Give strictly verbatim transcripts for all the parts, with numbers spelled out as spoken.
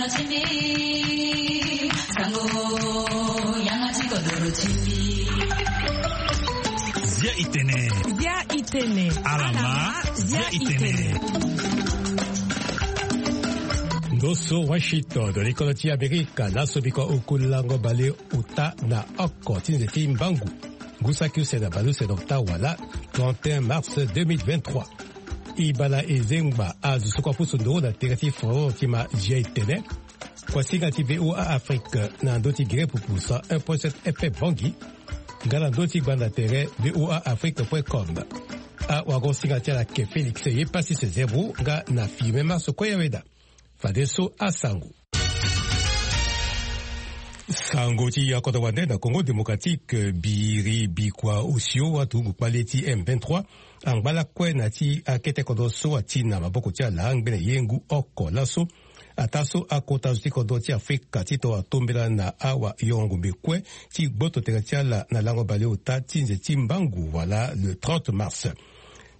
Zia itene. Zia itene. Alama. Zia itene. Ndo so Washington, likolo ti Amerika, laso biko oku lango bale uta na oko ti nze ti mbangu, ngu saki use na bale use na ota wala, trente et un mars deux mille vingt-trois. Ibala ezengba azo so kua pusu ndoro na tere ti Foro ti ma Zia itene. Kuasinga ti V O A Afrique na ndö ti gere pupu cent un point sept F M Bangui, nga na ndö ti gbanda tere V O A Afrique point com. Awagosinga ti ala ke Félix ye pasi se zebro nga na Firmin Marso Koyaweda. Fadeso asango. Sango ti yakoto wande na Congo Démocratique, biri bikua osio aturugu kpale ti M vingt-trois angba lakue na ti akete kodro so ati na maboko ti ala ngbene ye ngu oko laso. Ataa so akota zo ti kodro ti Afrika ti to atombela na awa yongombe kue ti gboto tere ti ala na lango baleota ti nze ti mbangu wala le trente mars.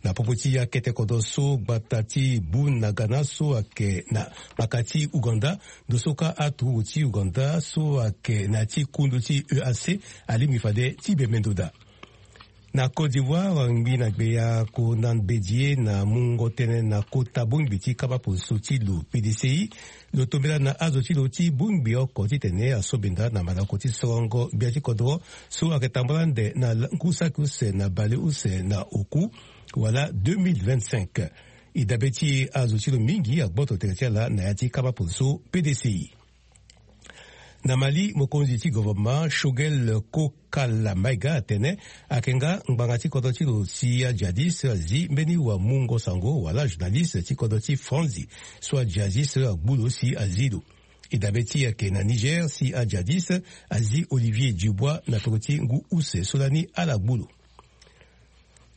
Na popo ti akete kodro so gbata ti Bunagana so ayeke na kpaka ti Ouganda, ndo so kâ aturugu ti Ouganda so ayeke na ya ti kundu ti E A C alingbi fade ti bembe ndo daa. Na Côte d'Ivoire, ngbi na gbeya ko na mbedi ye na mungo tënë na kota bongbi ti kaba poso ti lo P D C I. Lo tombela na azo ti lo ti bongbi oko titene asobenda na malako ti sorongo gbia ti kodro so ayeke tambula ande na ngu saki use na bale use na oku wala deux mille vingt-cinq. E dabe ti e azo ti lo mingi agboto tere ti ala na ya ti kaba poso P D C I. Na Mali, mokonzi ti gouvernement Choguel Kokala Maïga atene ayeke nga ngbanga ti kodro ti lo si ajihadiste azi mbeni wamungo sango wala journaliste ti kodro ti Franzi so ajihadiste agbu lo si azi lo. E dabe ti e ayeke na Niger si ajihadiste azi Olivier Dubois na peko ti ngu use so lani ala gbu lo.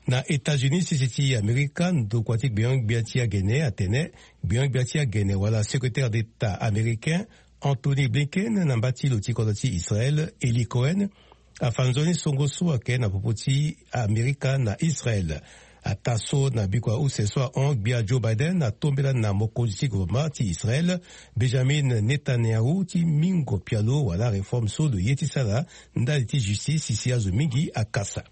Na États-Unis, sese ti Amerika, ndokua ti gbeon-gbia ti agene atene gbeon-gbia ti agene wala secrétaire d'État américain Antony Blinken na mba ti lo ti kodro ti Israël, Eli Cohen, afa nzoni songo so ayeke na popo ti Amerika na Israël. Ataa so na bikua use so ahon, gbia Joe Biden atombela na mokonzi ti gouvernement ti Israël, Benjamin Netanyahu, ti mingo pialo wala réforme so lo ye ti sara ndali ti justice si azo mingi akasa.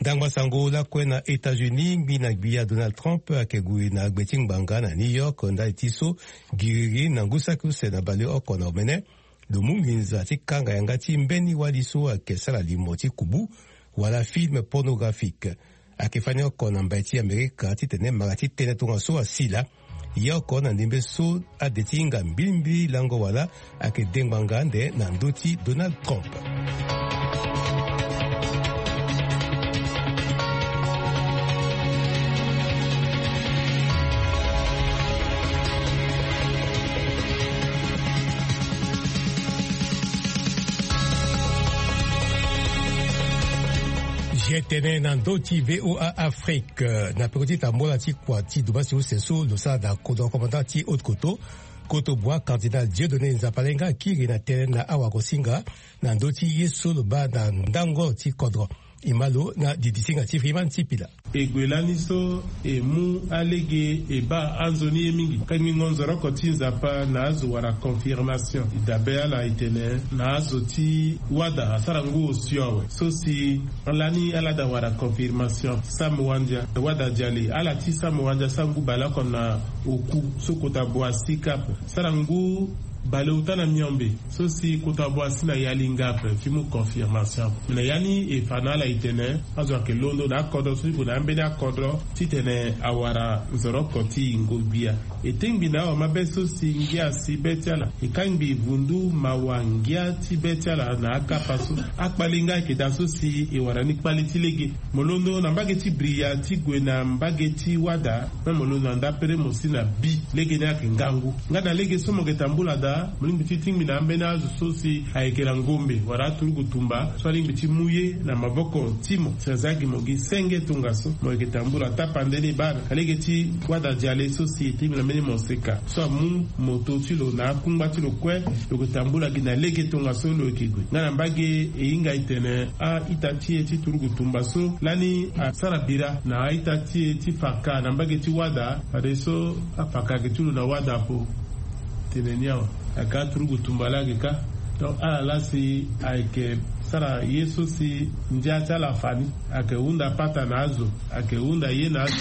Ndangba sango lakue na États-Unis, ngbi na gbia Donald Trump ayeke gue na gbe ti ngbanga na New York ndali ti so giriri na ngu saki use na baleoko na omene. Lo mu nginza ti kanga yanga ti mbeni wali so ayeke sara limo ti kubu wala film pornographique. Ayeke fani oko na mbai ti Amerika titene mara ti tënë tongaso asila. Ye oko na ndembe so ade ti hinga mbilimbili lango wala ayeke de ngbanga ande na ndö ti Donald Trump. Zia tënë na ndö ti V O A Afrique, na peko ti tambola ti kua ti domasi use so lo sara na kodro commandant ti Haute Koto, Koto Bois, cardinal Dieudonné Nzapalenga akiri na tënë na awagosinga na ndö ti ye so lo baa na ndango ti kodro. E ma lo na didi ti hinga ti Freeman Sipila. E gue lani so e mu alege e baa anzoni ye mingi. Kangbingo nzoroko ti Nzapa na azo wara confirmation. E dabe ala e tene na azo ti wada asara ngu osio awe. So si lani ala da wara confirmation, Sam Wandia, wada Diale, ala ti Sam Wandia sara ngu baleoko na oku so kota Boasi Cap. Sara ngu baleota na miombe so si kota Boasi na Yalinga ape ti mu confirmation. Me na ya ni e fa na ala e tene azo ayeke londo na akodro so ti gue na ambeni akodro titene awara nzoroko ti yingo gbia. E tengbi na awamabe so si ngia asi be ti ala. E kangbi vundu mawa ngia ti be ti ala na akapa so. Akpalenga ayeke daa so si e wara ni kpale ti lege. Mo londo na mbage ti Bria ti gue na mbage ti wada, me mo londo na ndapere mo si na bi. Lege ni ayeke ngangu. Nga na lege so mo yeke tambula daa, mo lingbi ti tingbi na ambeni azo so si ayeke na ngombe wala aturugu tumba so alingbi ti mu ye na maboko ti mo. Si aza gi mo gi senge tongaso, mo yeke tambula tapande ni baa na lege ti wada Diale so si e tingbi na mbeni moseka so amu moto ti lo na akungba ti lo kue. Lo yeke tambula gi na lege tongaso lo yeke gue. Nga na mbage e hinga e tene a-ita ti e ti turugu tumba so lani asara bira na a-ita ti e ti faka na mbage ti wada, fadeso afaka gi ti lo na wada apo. Tene ni awa, ayeke aturugu tumba laa ayeke ka. Donc ala laa si ayeke sara ye so si ndia ti ala afa ni. Ayeke hunda pata na azo, ayeke hunda ye na azo,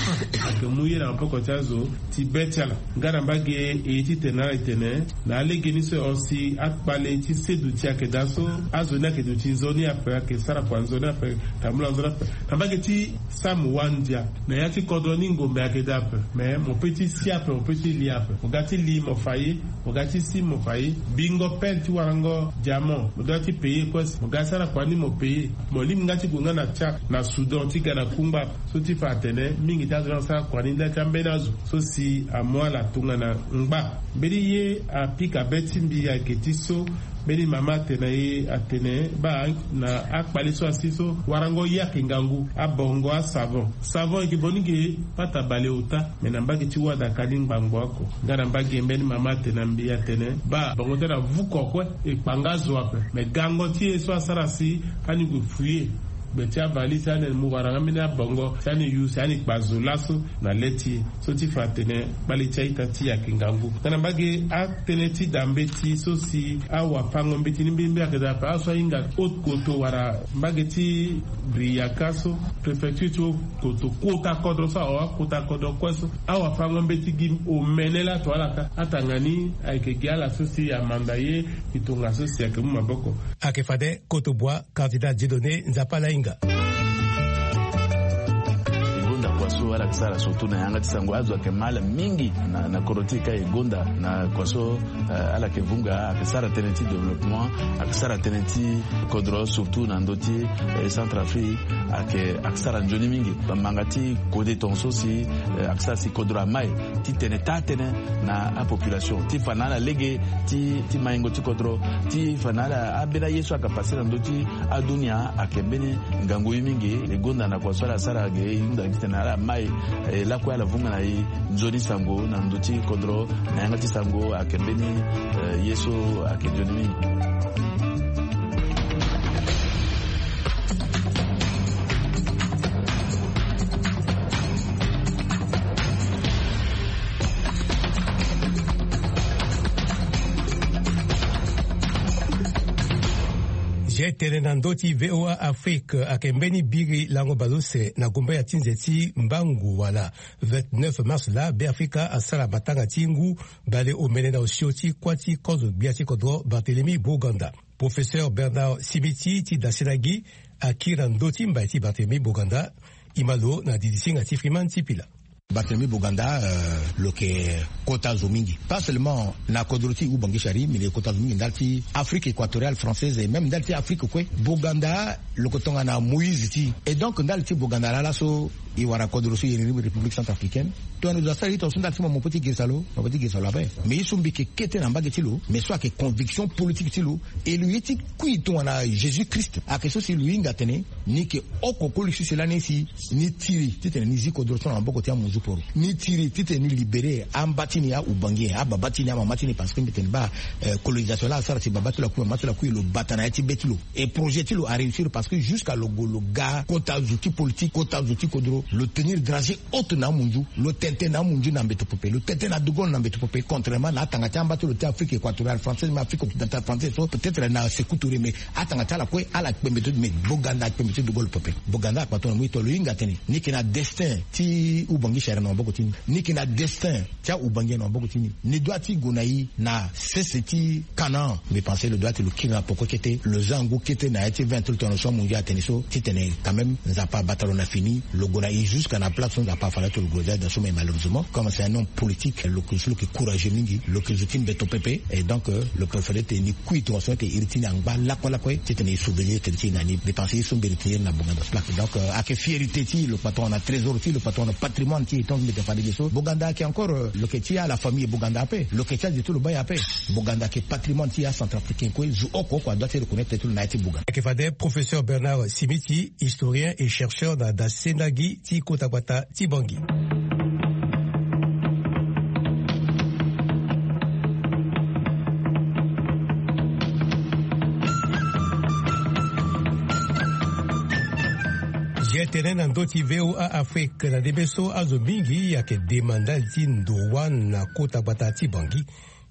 ayeke mu ye na maboko ti azo ti be ti ala. Nga na mbage e ye titene ala tene na alege ni so e hon si akpale ti seduti ayeke daa so, azo ni ayeke duti nzoni ape, ayeke sara kua nzoni ape, tambula nzoni ape. Na mbage ti samu wandia na ya ti kodro ni ngombe ayeke daa ape. Me mo pe ti si ape, mo pe ti li ape. Mo ga ti li mo fa ye, mo ga ti si mo fa ye. Bingo pele ti warango diamant, mo doit ti paye kue si mo ga sara kua ni mo paye. Mo lingbi nga ti gue nga na Tchad, na Soudan, ti ga na kungba. So ti fa atene mingi ti azo ni asara kua ni nda ti ambeni azo so si amu ala tongana ngba. Mbeni ye apika be ti mbi ayeke ti so mbeni mama atene na e atene baa na akpale so asi so warango ye ayeke ngangu, abongo, asavon. Savon ayeke boni ge pata bale ota. Me na mbage ti wada ka ni ngbangbo oko. Nga na mbage mbeni mama atene na mbi atene baa bongo ti ala avuko kue, e kpa nga zo ape. Me gango ti e so asara si ani gue fouiller gbe ti avalise, ani mu wara nga mbeni abongo si ani use, ani kpa zo laso na le ti e. So ti fa atene kpale ti a-ita ti e ayeke ngangu. Nga na mbage atënë ti da mbeti so si awafango mbeti ni mbirimbiri ayeke daa ape, azo so ahinga haute koto wala mbage ti Briyaka so, préfecture ti haute koto, kota kodro so ahon akota kodro kue so. Awafango mbeti gi omene laa to ala ka. Atanga ni ayeke gi ala so si amanda ye, e tongaso si ayeke mu maboko. Ayeke fade Koto Bua, cardinal Dieudonné Nzapa Lahinga. E gonda kua so ala yeke sara surtout na yanga ti sango, azo ayeke ma ala mingi na, na kodro ti e ka. E gonda na kua so, eh, ala yeke vunga, ayeke sara tënë ti développement, ayeke sara tënë ti kodro surtout na ndö ti, eh, Centrafrique, ayeke, ayeke sara nzoni mingi. Bamanga ti kode tongaso si, eh, ayeke sara si kodro amai titene taa tënë na apopulation ti fa na ala lege ti, ti maingo ti kodro, ti fa na ala ambeni aye so ayeke pase na ndö ti adunia ayeke mbeni ngangu ye mingi. E gonda na kua so ala sara ge, e hunda titene ala mai, eh, lakue ala vunga na e nzoni sango na ndö ti kodro, na yanga ti sango ayeke mbeni, eh, ye so ayeke nzoni mingi. Ge tene na ndö ti V O A Afrique ayeke mbeni biri lango baleuse na gumbaya ti nze ti mbangu wala vingt-neuf mars laa Beafrika asara matanga ti ngu bale omene na osio ti kuâ ti kozo gbia ti kodro Barthélemy Boganda. Professeur Bernard Simiti ti Dasinagi akiri na ndö ti mbai ti Barthélemy Boganda. E ma lo na didi singa ti Freeman ti Pila. Barthélemy Boganda, euh, lo yeke kota zo mingi, pas seulement na kodro ti Oubangui Chari, mais lo yeke kota zo mingi ndali ti Afrique équatoriale française et même ndali ti Afrique kue. Boganda lo yeke tongana Moïse ti e. Et donc ndali ti Boganda laa laso e wara kodro so e iri ni République centrafricaine. Tongana lo zo asara ye tongaso ndali ti mo, mo peut ti girisa lo, mo peut ti girisa lo ape. Mais ye so mbi yeke kete na mbage ti lo, mais so ayeke conviction politique ti lo, e lo ye ti kui tongana Jésus Christ ayeke so si lo hinga atene ni yeke oko koli sese lani si ni tiri titene ni zi kodro so na maboko ti amunzu poro. Ni tiri titene ni libéré amba ti ni, a-Oubangui, ababa ti ni, amama ti ni, parce que mbi tene baa, euh, colonisation laa asara si baba ti lo akui, mama ti lo akui, lo bata na ya ti be ti lo. Et projet ti lo aréussir parce que jusqu'à lo gue lo ga kota zo ti politique, kota zo ti kodro, lo tenir dragée haute na amunzu, lo tene tënë na amunzu na mbeto pepe, lo tene tënë na De Gaulle na mbeto pepe, contrairement na atanga ti amba ti lo ti Afrique équatoriale française, mais Afrique occidentale française so, peut-être na Sékou Touré, mais atanga ti ala kue ala kpembe ti, mais Boganda akpembe ti De Gaulle pepe. Boganda akpa tongana mo ye to lo hinga atene ni yeke na destin ti Oubangui Chari na maboko ti ni, ni yeke na destin ti a-Oubangui na maboko ti ni. Ni doit ti gue na e na sese ti Canaan. Mbi pense lo doit ti lo kiri na poko kete, lo za ngu kete na ya ti vingt ti lo tongana so amunzu atene so, titene quand même Nzapa abata lo na fini, lo gue na e jusqu'à na place so Nzapa afa lo ti lo gue. Dans ce moment, malheureusement, comme c'est un homme politique, lo yeke zo ti lo yeke courageux mingi, lo yeke zo ti mbeto pepe, et donc, euh, lo préféré titene ni kui tongana so ni yeke iri ti ni angba lakue lakue, titene e sauver tënë ti e na ni. Mbi pense ye so mbi retenir na Boganda so laa. Donc, euh, ayeke fierté ti lo, patron na trésor ti lo, patron na patrimoine ti e, tant mbi yeke fa lege so. Boganda ayeke encore, euh, lo yeke ti ala famille Boganda ape, lo yeke ti azo ti lo baya ape. Boganda ayeke patrimoine ti acentrafricain kue, zo oko oko adoit ti reconnaître ti lo na ya ti Boganda. Ayeke fade Professeur Bernard Simiti, historien et chercheur na dasenagi ti kota gbata ti Bangui. Ge tene na ndö ti V O A Afrique na ndembe so azo mingi ayeke dema ndali ti ndo wâ na kota gbata ti Bangui.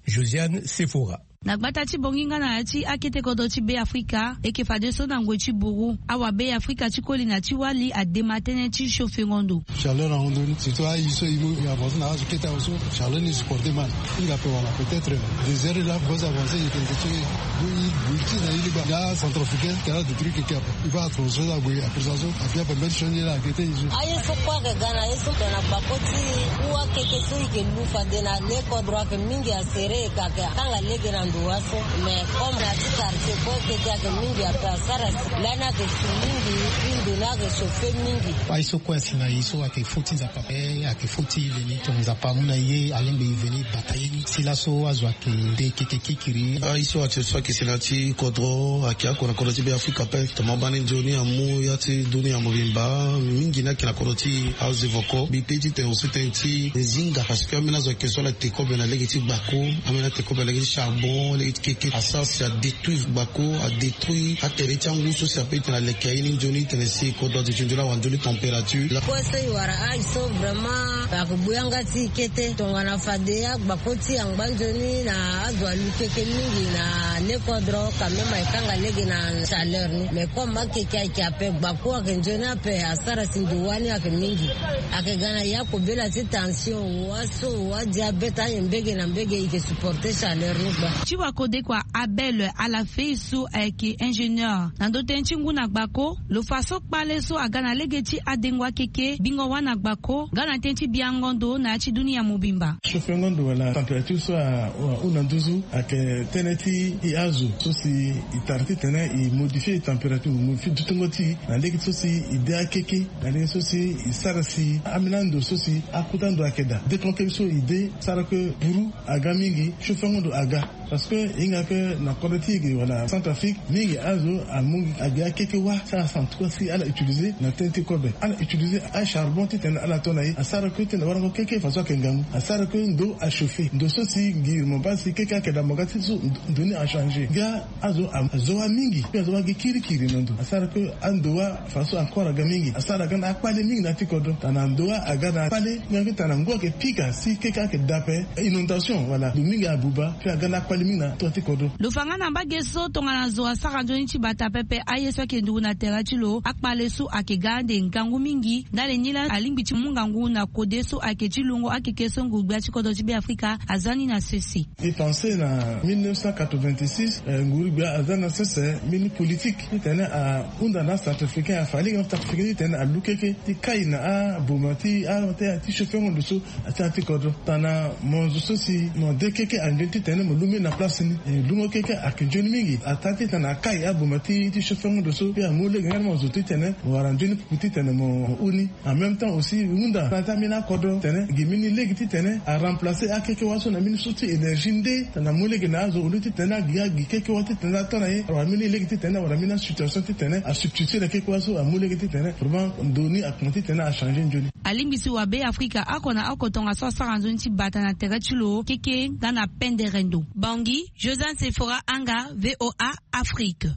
Josiane Sephora. Na gbata ti bongi nga na ya ti akete kodro ti Be Afrika, e ke fadeso na ngoi ti buru, awa Be Afrika ti koli na ti wali adema tënë ti chauffer ngondo. Chaleur ahon ndoni, surtout ayi so e mu e avancer na azo kete awe so, chaleur ni supporter mal. Hinga ape wala peut-être deux heures là, bos avancer e ke nze ti e. Bui bui ti na e ligba ya centrafricain, kala de truc e ke ape. E va transférer ague après ça so, ape ape mbeni sioni la akete e so. Aye so kue ayeke ga na ye so tongana gbako ti e. Kua keke so e ke lu fade na le kodro ayeke mingi, asere e ka ayeke akanga lege na ndo wa so. Mais comme na ti quartier kue keke ayeke mingi ape asara si lani ayeke su mingi. Puis ndo ni ayeke chauffer mingi. Aye so kue asi na e so ayeke fo ti Nzapa. Eh, ayeke fo ti e veni tongana Nzapa amu na e ye alingbi e veni bata ye ni. Si laso azo ayeke de keke kikiri. Aye so ati so ayeke si na ya ti kodro ayeke oko na kodro ti Be Afrika ape. Tongana mo baa ni nzoni amu ya ti dunia mobimba mingi ni ayeke na kodro ti e. Azo evo oko mbi pe titene aussi tënë ti zinga parce que ambeni azo ayeke so ala te kobe na lege ti gbako, ambeni ate kobe na lege ti charbon, lege ti keke asara si adétruire gbako, adétruire atere ti angu so si ape titene aleke aye ni nzoni titene si kodro azo ti nzoni awa nzoni température. Kue so e wara aye so vraiment ayeke gbu yanga ti e kete tongana fade agbako ti e angba nzoni na azo alu keke mingi na le kodro quand même ayeke kanga lege na chaleur ni. Mais comme akeke ayeke ape gbako ayeke nzoni ape asara si ndo wani ayeke mingi. Ayeke ga na ya kobela ti tension wa so wa diabète aye mbege na mbege e ke supporter chaleur ni gba. Ti wakodekua Abel Alafei so ayeke ingénieur na ndo tënë ti ngu na gbako, lo fa so kpale so aga na lege ti adengo akeke bingo wâ na gbako nga na tënë ti biango ndo na ya ti dunia mobimba. Chauffer ngondo wala température so ahunda nduzu ayeke tënë ti e azo so si e tara titene e modifier e température, e modifier dutungo ti e na lege so si e de akeke, na lege so si e sara si ambeni ando so si akota ndo ayeke daa. Dekonke so e de sara que buru aga mingi, chauffer ngondo aga. Parce que e hinga que na kodro ti e ge wala Centrafrique mingi azo amu agi akeke wâ sara santu kue si ala utiliser na tënë ti kobe. Ala utiliser acharbon titene ala to na e asara que titene warango keke façon ayeke ngangu asara que ndo achauffer. Ndo so si gi mo baa si keke ayeke daa mo ga ti so ndo ni achanger. Nga azo azo wâ mingi, puis azo wâ gi kirikiri na ndo asara que ando wâ façon encore aga mingi asara aga na akpale mingi na ya ti kodro. Tana ndo wâ aga na akpale nga titene ngu ayeke pika si keke ayeke daa ape. Inondation wala ndo mingi abuba, puis aga na akpale mingi na tua ti kodro. Lo fa nga na mbage so tongana zo asara nzoni ti bata pepe aye so ayeke nduru na tere ti lo, akpale so ayeke ga ande ngangu mingi. Ndali ni laa alingbi ti mu ngangu na kode so ayeke ti lungo akeke so nguru-gbia ti kodro ti Be Afrika aza ni na sese. E pense na mille neuf cent quatre-vingt-six, eh, nguru-gbia aza na sese mbeni politique titene ahunda na acentrafricain, afa lege na acentrafricain titene alu keke ti kai na aboma ti a ti chauffer ngondo so. Ati ati kodro tana mo zo so si mo de keke anzoni titene mo lu mbeni na place ni. E lungo keke ayeke nzoni mingi. Ata titene akai aboma ti ti chauffer ngondo so pe amu lege nga ni mo zo titene mo wara nzoni pupu titene mo huni. En même temps aussi hunda na ata mbeni akodro titene gi mbeni lege titene aremplacer akeke wâ so na mbeni so ti énergie nde tana amu lege na azo au lieu titene agi agi keke wâ titene ato na ye awara mbeni lege titene awara mbeni asituation titene asubstituer na keke wâ so amu lege titene vraiment ndo ni akoma titene achanger nzoni. Alingbi si wa Be Afrika oko na oko tongaso asara nzoni ti bata na tere ti lo keke nga na pendere ndo. Bangi, Josiane Sephora Anga, V O A Afrique.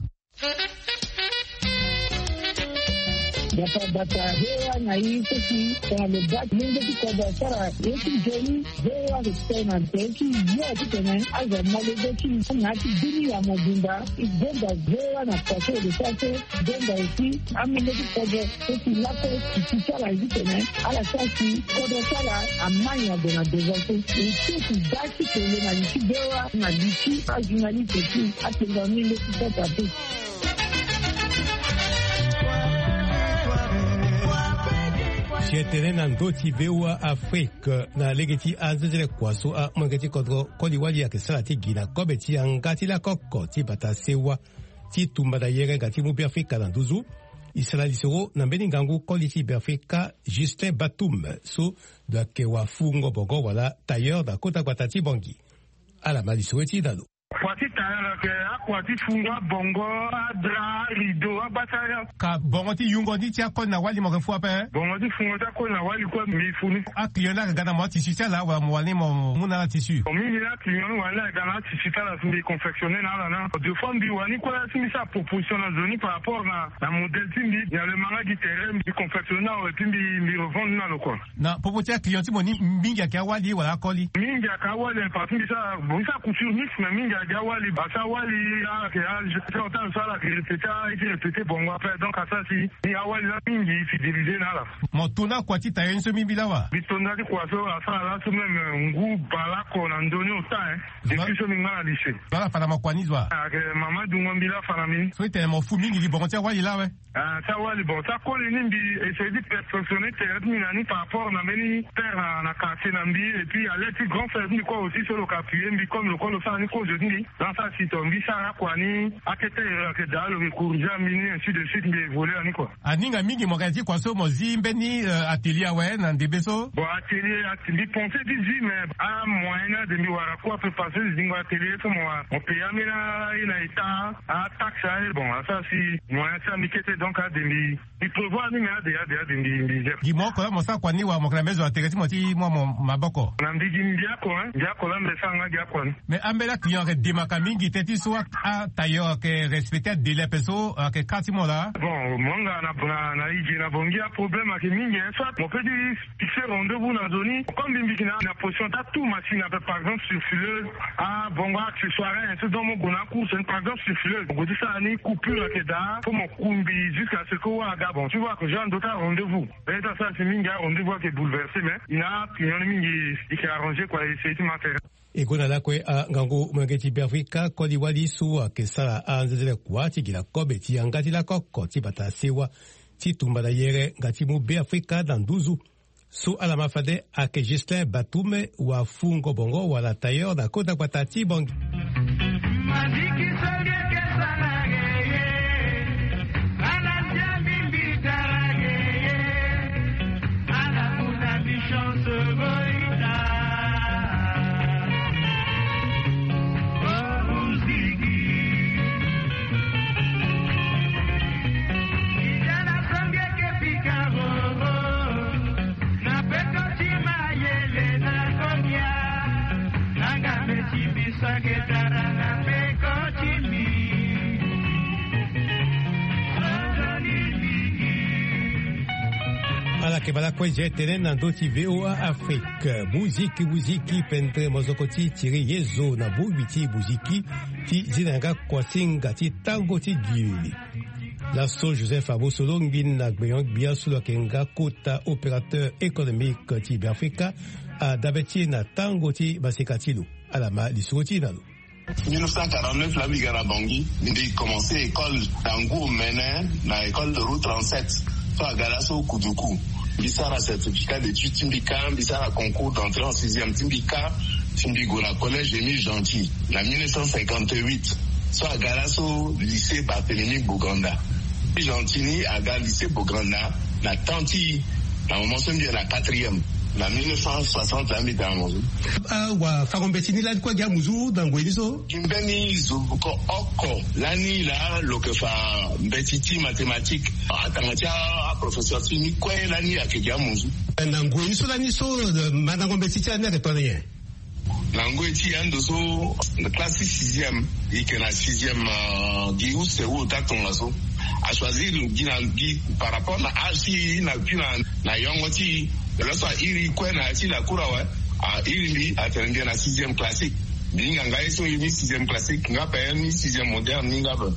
Bata bata, V O A na ye so si tongana lo baa ti lenge ti kodro asara ye ti nzoni, V O A ayeke sara na tere ti yo titene azo amolenge ti na ya ti dunia mobimba. E gonda V O A na façon e sara so. Gonda aussi amolenge ti kodro so si lakue ti ti ti ala ye titene ala sara si kodro ti ala amai na gue na devant so. E so si baa ti tene na li ti V O A na li ti ajournaliste aussi atene na amolenge ti kodro ape. Si e tene na ndö ti V O A Afrique na lege ti anzenze kua so amolenge ti kodro koli wali ayeke sara ti gi na kobe ti yanga ti lakoko ti bata sewa ti tumba na yere ga ti mu Be Afrika na nduzu. E sara lisoro na mbeni ngangu koli ti Be Afrika Justin Batum so lo yeke wafungo bongo wala tailleur na kota gbata ti Bangui. Ala ma lisoro ti e na lo. Ayeke akua ti fungo, abongo, adra, arideau, abasara. Ka bongo ti yungo ni ti akoli na wali mo yeke fu ape? Bongo ti fungo ti akoli na wali kue mbi fu ni. Aclient ni ayeke ga na mo atissu ti ala wala mo wani mo mu na ala tissu? Bon, mingi ni aclient ni wani ayeke ga na atissu ti ala si mbi confectionner na ala na. Deux fois mbi wani kue si mbi sara proposition na zo ni par rapport na na modèle ti mbi, na le manga gi terrain mbi confectionner na awe ti mbi mbi revendre na lo kua. Na popo ti aclient ti mo ni mingi ayeke awali wala akoli? Mingi ayeke awali, parce que mbi sara bon mbi sara couture mix, mais mingi ayeke awali, parce que awali ala yeke age ti ota so ala yeke répéter, ala ye ti répéter bongo après, donc asara si ni awali la mingi fidéliser na ala. Mo to na kua ti tailleur ni so mbi mbi lawa? Mbi to nda ti kua so asara laso même ngu baleoko na ndoni ota, hein. Depuis so mbi nga na lycée. Zo ala fa na mo kua ni zo wa? Ayeke mama dungo mbi la fa na mbi ni. So itene mo fu mingi gi bongo ti awali la awe? Ah, ti awali bon ti akoli ni mbi essayer ti perfectionner tere ti mbi na ni par rapport na mbeni père na na quartier na mbi, et puis alerte ti grand frère ti mbi kue aussi so lo ka appuyer mbi comme lo kue lo sara ni kozo ti mbi. Dans sa si to mbi sara akua ni akete erreur ayeke daa lo yeke corriger mbi ni, ainsi de suite mbi évoluer na ni kua. Aninga mingi mo ga ti kua so mo zi mbeni atelier awe na ndembe so? Bon, atelier ati mbi pense ti zi mais amoyen ni ade mbi wara kue ape parce que zingo atelier so mo wara mo payer ambeni aye na état, ataxe aye, bon asara si moyen ti ambi kete, donc ade mbi mbi prévoir ni mais ade ade ade mbi mbi gère. Gi mo oko la mo sara kua ni wala mo yeke na mbeni zo na tere ti mo ti mu amo maboko? Na mbi gi mbi oko, hein, mbi oko la mbi sara nga gi akua ni. Mais ambeni aclient ayeke demaka mingi teti so atailleur ayeke respecter adélai ape so ayeke ka ti mo laa? Bon mo nga na na na ige na bongi aproblème ayeke mingi, hein, soit mo peut ti fixer rendez-vous na zo ni comme mbi mbi yeke na na position ti atu machine ape par exemple sur fileuse, abongo accessoire, hein, so donc mo gue na acourse ni par exemple sur fileuse mo gue ti sara ni coupure ayeke daa fo mo kumbi jusqu'à ce que wa aga bon ti wa ayeke jour ando ti arendez-vous. Be ti asara si mingi arendez-vous ayeke bouleversé mais i na aclient ni mingi i yeke arranger kua essayer ti matériel. E gue na lakue angangu molenge ti Beafrika koli wali so ayeke sara anzenze kua ti gi na kobe ti yanga ti lako oko ti bata sewa ti tumba na yere nga ti mu Beafrika na nduzu. So ala ma fade ayeke Justin Batume wa fungo bongo wala tailleur na kota gbata ti Bangui. Ala yeke bala kue je tene na ndö ti V O A Afrique. Muziki, muziki, pendere mozoko ti Thierry Yezo na bongbi ti muziki ti zi na yanga kuasinga ti tango ti gili. Laso Joseph Abosolo ngbi na gbenyo-gbia so lo yeke nga kota opérateur économique ti Beafrika adabe ti e na tango ti maseka ti lo. Ala ma lisoro ti e na lo. Mille neuf cent quarante-neuf la mbi ga na Bangui, mbi commencé école na ngu omene na école de route trente-sept. So aga laso Kuduku. Mbi sara certificat d'études ti mbi kâ, mbi sara concours d'entrée en sixième ti mbi kâ, ti mbi gue na collège Émile Gentil na mille neuf cent cinquante-huit. So aga laso lycée Barthélemy Boganda. Émile Gentil ni aga lycée Boganda na temps ti na moment so mbi yeke na quatrième na mille neuf cent soixante la mbi da na mo so. Awa fango mbeti ni lani kue gi amuzu na ngoi ni so. Gi mbeni zo ko oko lani laa lo yeke fa mbeti ti mathématique. Atanga ti aprofesseur ti ni kue lani ayeke gi amuzu. Na ngoi ni so lani so mandango mbeti ti lani ayeke tongana nyen? Na ngoi ti e ando so classe ti sixième e yeke na sixième gi use wu ota tongaso. Achoisir gi na gi par rapport na âge ti e na gi na na yongo ti e. Laso a iri kue na ya ti la cour awe. A iri mbi atene mbi yeke na sixième classique. Mbi hinga nga ye so e ni sixième classique nga ape ni sixième moderne ni nga ape.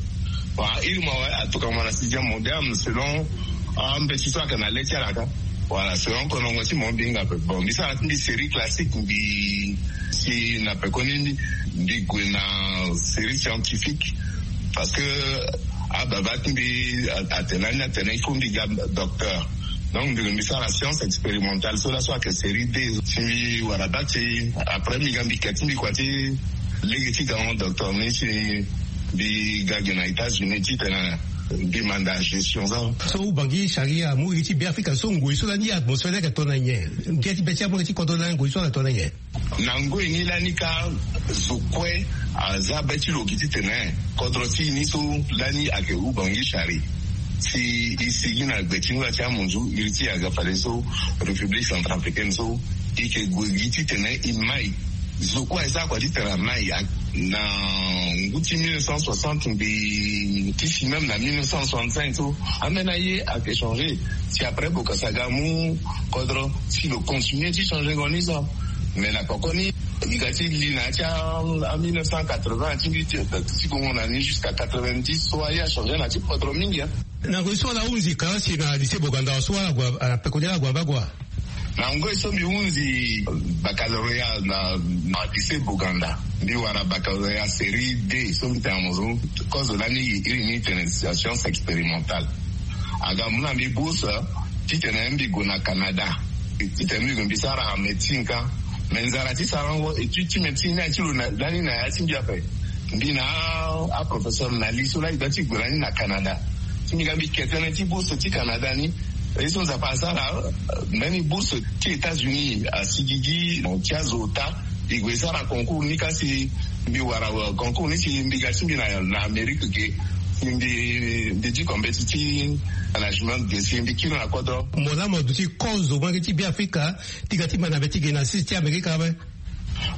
Bon a iri mo awe atokua mo na sixième moderne selon ambeti so ayeke na le ti ala kâ. Voilà selon konongo ti mo mbi hinga ape bon mbi sara ti mbi série classique mbi si na pekoni mbi gue na série scientifique. Parce que ababa ti mbi atene ani atene il faut mbi ga docteur. Donc mbi lo mbi sara science expérimentale so laso ayeke série deux si mbi wara date ti après mbi ga mbi ke ti mbi kua ti lege ti gango docteur ni si mbi ga gi na États-Unis titene Mbi manda gestion so. So Ubangui Chari amu iri ti Beafrika so ngoi so lani atmosphère ni ayeke tongana nyen? Ngia ti be ti amu iri ti kodro lani ngoi so ayeke tongana nyen? Na ngoi ni lani ka zo kue aza be ti lo gi titene kodro ti e ni so lani ayeke Ubangui Chari. Si e sigi na gbe ti ngbanga ti amunzu iri ti aga fade so République centrafricaine so e yeke gue gi titene e mai. Zo kue aye sara kua ti tene amai. Na ngu ti mille neuf cent soixante mbi ti si même na mille neuf cent soixante-cinq so ambeni aye ayeke changé. Si après Bokassa aga amu kodro si lo continué ti changé ngo ni so. Mais na koko ni e ga ti li na ya ti a mille neuf cent quatre-vingts ti mbi ti ti gongo na ni jusqu'à quatre-vingt-dix so aye achangé na ti kodro mingi. Na ngoi so ala hunzi ka si na lycée Boganda so ala gue na peko ni ala gue na bagua. Na ngoi so mbi hunzi baccalauréat na na lycée Boganda, mbi wara baccalauréat série D so mbi tene na mo so. Kozo lani iri ni tene science expérimentale. Aga mu na mbi bourse titene mbi gue na Canada, titene mbi gue mbi sara médecine ka. Mais nzara ti sarango étude ti médecine ni aye ti lo lani na ya ti mbi ape. Mbi na aprofesseur na li so lani ga ti gue lani na Canada. Ti mbi ga mbi ke tënë ti bourse ti Canada ni. Ye so Nzapa asara mbeni bourse ti États-Unis asigigi ti azo ota. E gue e sara concours ni ka si mbi wara concours ni si mbi ga ti mbi na Amérique ge. Si mbi mbi diko mbeti ti management ge si mbi kiri na kodro. Mo laa mo duti kozo molenge ti Beafrika ti ga ti ma na be ti ge na sisi ti Amérique ape.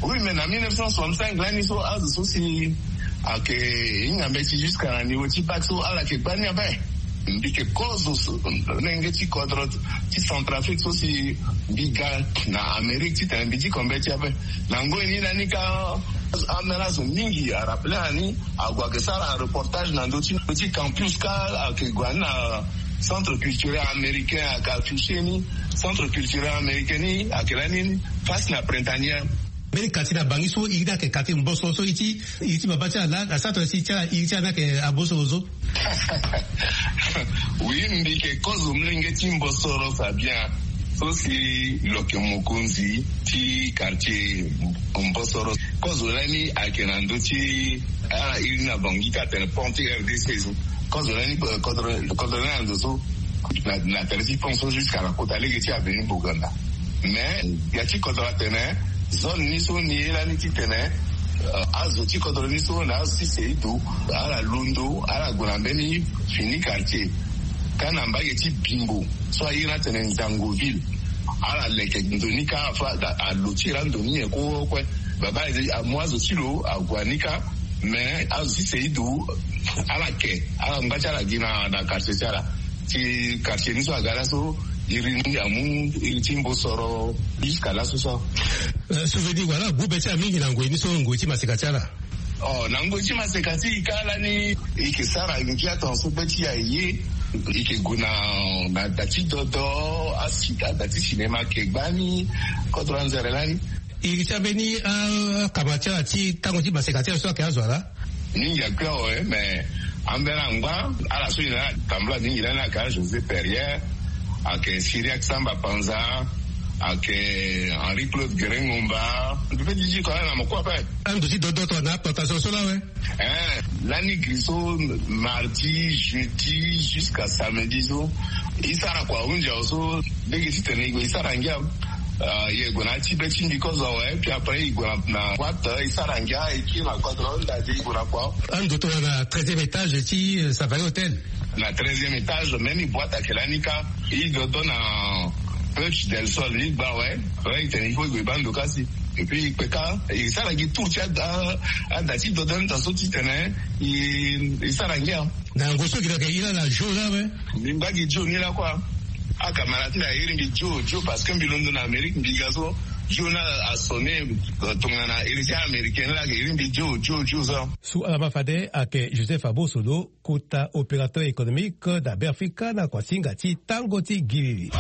Oui, mais na mille neuf cent soixante-cinq lani so azo so si ayeke hinga mbeti jusqu'à na niveau ti bac so ala yeke gbani ape. Mbi yeke kozo so lenge ti kodro ti Centrafrique so si mbi ga na Amérique titene mbi diko mbeti ape. Na ngoi ni lani ka ambeni azo mingi arappelé na ni ague ayeke sara reportage na ndö ti ndö ti campus ka ayeke gue na centre culturel américain ayeke affiché ni. Centre culturel américain ni ayeke lani face na Printanière. Mbeni quartier na Bangui so iri ni ayeke quartier Mbosoro so iri ti iri ti baba ti ala laa na centre si ti ala iri ti ala ni ayeke Abosoro so. Oui, mbi yeke kozo molenge ti Mbosoro Fabien. So si lo yeke mokonzi ti quartier Mbosoro. Kozo lani ayeke na ndö ti ala iri ni na Bangui ka atene pont ti R D C so. Kozo lani kodro lani na ndo so na tere ti pont so jusqu'à na kota lege ti avenue Boganda. Mais ya ti kodro atene zone ni so ni ye lani titene azo ti kodro ni so na azo ti Seido ala londo ala gue na mbeni fini quartier. Ka na mbage ti Bimbo so aye ni atene Nzangoville. Ala leke ndo ni ka afa alo ti ira ndo ni nyen kue kue. Baba amu azo ti lo ague ni ka. Mais azo ti Seido ala ke ala ngba ti ala gi na quartier ti ala. Ti quartier ni so aga laso iri ni amu iri ti Mbosoro jusqu'à laso so. Souvenir wala agu be ti ala mingi na ngoi ni so ngoi ti maseka ti ala. Oh, na ngoi ti maseka ti e ka lani e yeke sara ngia tongaso be ti e aye. E yeke gue na na da ti dodo asi ada ti cinéma ayeke gbani. Kodro anzere lani. Iri ti ambeni akama ti ala ti tango ti maseka ti ala so ayeke azo ala. Mingi akui awe mais ambeni angba ala so e na ala tambula mingi lani ayeke a José Perrier, ayeke Cyriaque Samba Panza, ayeke Henri Claude Guérin Ngomba. Mbi pe ti diko ala na mokua ape. Ando ti dodo tongana plantation so laa awe. Eh, lani gri so mardi, jeudi jusqu'à samedi so e sara kua ahunzi awe so. Lege titene e gue e sara ngia. Ah, e gue na ya ti be ti mbi kozo awe puis après e gue na na boite e sara ngia e kiri na kodro nda ti e gue na kua. Ando tongana treizième étage ti Safari Hotel. Na treizième étage même boite ayeke lani ka. E dodo na Puerta del Sol ni gba awe. Après e tene il faut e gue e baa ndo kasi. Et puis e kpe ka e sara gi tour ti ada ti dodo ni tongaso titene e sara ngia. Na yango so gi na yeke iri ala na jour laa awe. Mbi ngba gi jour ni laa kua. Acamarade ti mbi airi mbi jour jour parce que mbi londo na Amérique mbi ga so jour ni asonné. Tongana iri ti américain ni laa ayeke iri mbi jour jour jour so. So ala ma fade ayeke Joseph Abosodo, kota opérateur économique na Beafrika na kuasinga ti tango ti gilili.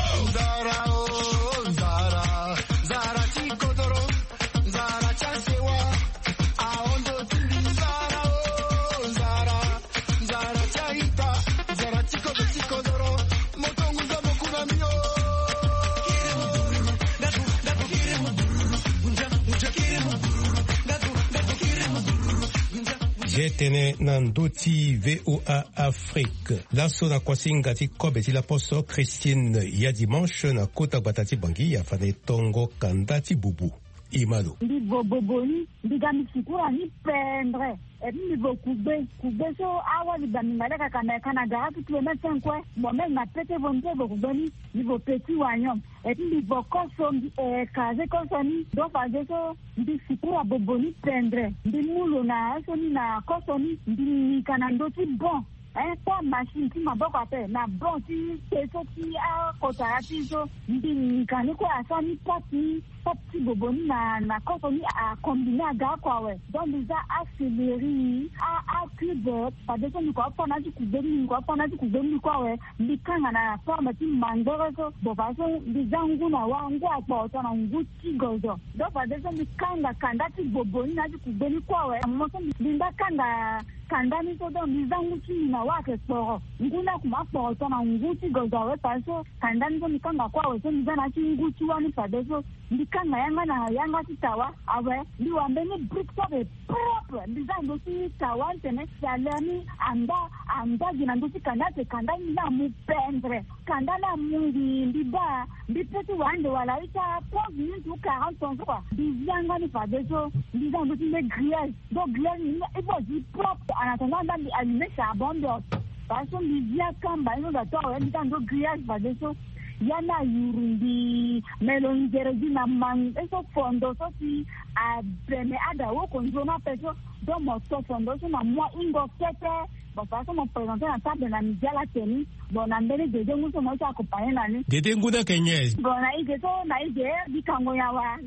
Ye tene na ndö ti VOA Afrique. Laso na kuasinga ti kobe ti laposo, Christine ya Dimanche na kota gbata ti Bangui afande tongo kanda ti bubu. Imalo. Mbi vo bobo ni, mbi ga mbi sukura ni pendre. Et puis mbi vo kugbe, kugbe so awali ba mbi nga leka ka me ka na gara ti kilomètre cinq kue. Bon, même na pete vo mbi so vo kugbe ni, mbi vo petit wagnon. Et puis mbi vo koso, mbi écraser koso ni. Donc fadeso mbi sukura bobo ni pendre. Mbi mu lo na so ni na koso ni, mbi nika na ndö ti bon. Hein, kua machine ti maboko ape na bon ti te so ti akotara ti so. Mbi nika ni kue asara ni pâte ni, pâte ti bobo ni na, na koso ni acombiner aga oko awe. Donc mbi za acéleri, a, acube. Fadeso mbi kua fâ na ti kugbe ni, mbi kua fâ na ti kugbe ni kue awe. Mbi kanga na forme ti mangbere so. Bon, fadeso mbi za ngu na wa, ngu akporo tongana ngu ti gozo. Donc fadeso mbi kanga kanda ti bobo ni na ti kugbe ni kue awe. Mo so mbi, mbi mba kanga kanda ni so, donc mbi za ngu ti mbi na wa ayeke kporo. Ngu ni akuma kporo tongana ngu ti gozo awe, fadeso kanda ni so mbi kanga kue awe so mbi za na ya ti ngu ti wa ni fadeso. Mbi kanga yanga na yanga ti tawa awe. Mbi wa mbeni brique so ape propre. Mbi za ndö ti tawa ni tene chaleur ni anda, anda gi na ndö ti kanda, ayeke kanda ni ni amu pendre. Kanda ni amu ngi, mbi baa, mbi peut ti wa ande wala ita quinze minutes ou quarante ans so kua. Mbi zi yanga ni fadeso, mbi za ndö ti nde grillage. Donc grillage ni, il faut azi propre. En attendant, anda mbi allumer charbon, mbi o. Fadeso mbi zi akamba ni so da to awe, mbi za ndö grillage fadeso. Ya ni ayuru mbi, me lo nzere gi na mangbere so fondo so si abene ada woko nzoni ape so. Donc mo to fondo so na mua ingo kete. Bon, fadeso mo présenter na table na midi ala teni. Bon, na mbeni dede ngu so mo ye ti accompagner na ni. Dede ngu ni ayeke nyen? Bon, na e ge so, na e ge, mbi kango nyen awa.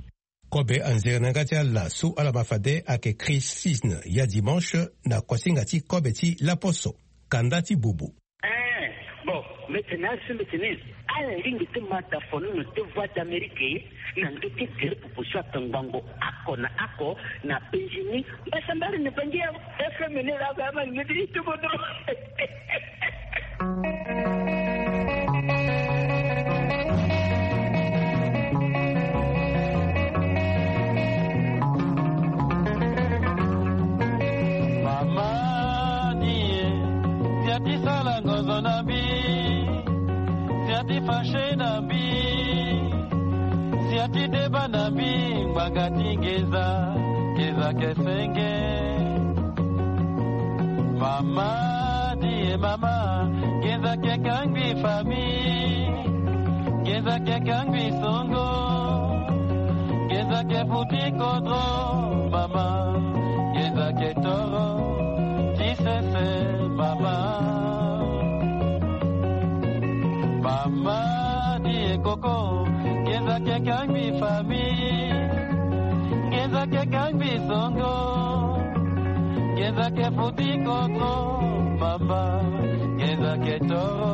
Kobe anzere na yanga ti ala so ala ma fade ayeke Christine ya Dimanche na kuasinga ti kobe ti laposo, kanda ti bubu. Eh, bon, mbi tene azo, mbi tene ala lingbi ti ma dafono na ndö ti Voix d'Amérique, na ndö ti gere popo so atongbango oko na oko na Benjini. Mbasambari na Bangi ya F M ni la, ba ma lingbi ti tubono. Mama ni e, si ati sala ngozo na mbi, si ati fâché na mbi, si ati deba na mbi, ngbanga ti nginza, nginza ke senge. Mama ni e mama, nginza ke kangbi famille, nginza ke kangbi songo, nginza ke futi kodro, mama, nginza ke toro ti sese, mama. Mama ni e koko, nginza ke kangbi famille, nginza ke kangbi songo, nginza ke futi kodro, mama, nginza ke toro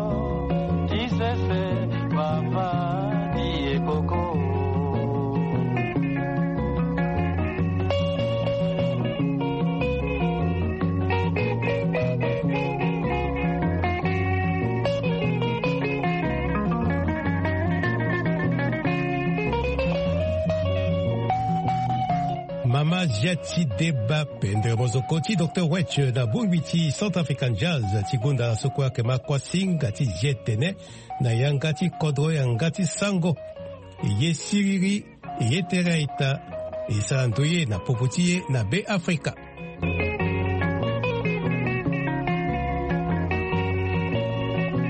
ti sese, mama ni e koko. Mama zia ti deba pendere mozoko ti Docteur Wetch na bongbi ti Centrafrican Jazz ti gonda na so kue ayeke ma kuasinga ti zi tene na yanga ti kodro, yanga ti sango. E ye siriri, e ye tere a-ita, e sara ndoye na popo ti e na Be Afrika.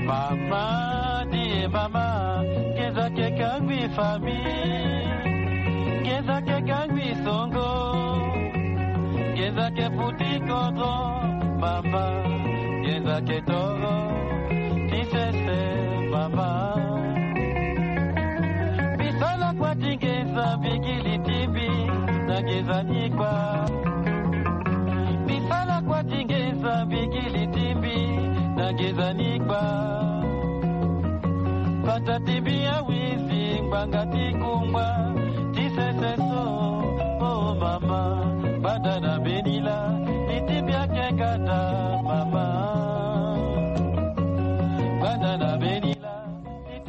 Mama ni e mama, nginza ke kangbi famille, nginza ke kangbi songo, nginza ke futi kodro, mama, nginza ke toro ti sese, mama. Mbi sala kua ti nginza, mbi gi li ti mbi na nginza ni kua. Mbi sala kua ti nginza, mbi gi li ti mbi na nginza ni kua. Pata ti mbi awizi ngbanga ti kungba ti sese so. Oh mama, gbanda na mbeni lâ, li ti mbi ayeke kata, mama. Gbanda na mbeni lâ.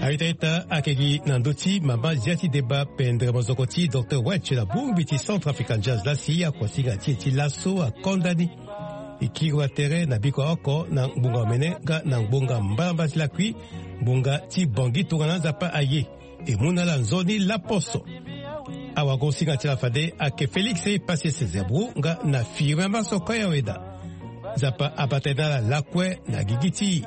A-ita-ita, ayeke gi na ndö ti mama zia ti deba pendere mozoko ti Docteur Wetch na bongbi ti Centrafrican Jazz laa si akuasinga ti e ti laso akonda ni. E kiri wa tere na biko ya oko na ngbonga omene nga na ngbonga mbalambala ti lakui, ngbonga ti bongi tongana nzapa aye. E mu na ala nzoni laposo. Awagosinga ti ala fade ayeke Félix Epasese Zebro nga na Firmin Masoko Yaweda. Nzapa abata na ala lakue na gigi ti.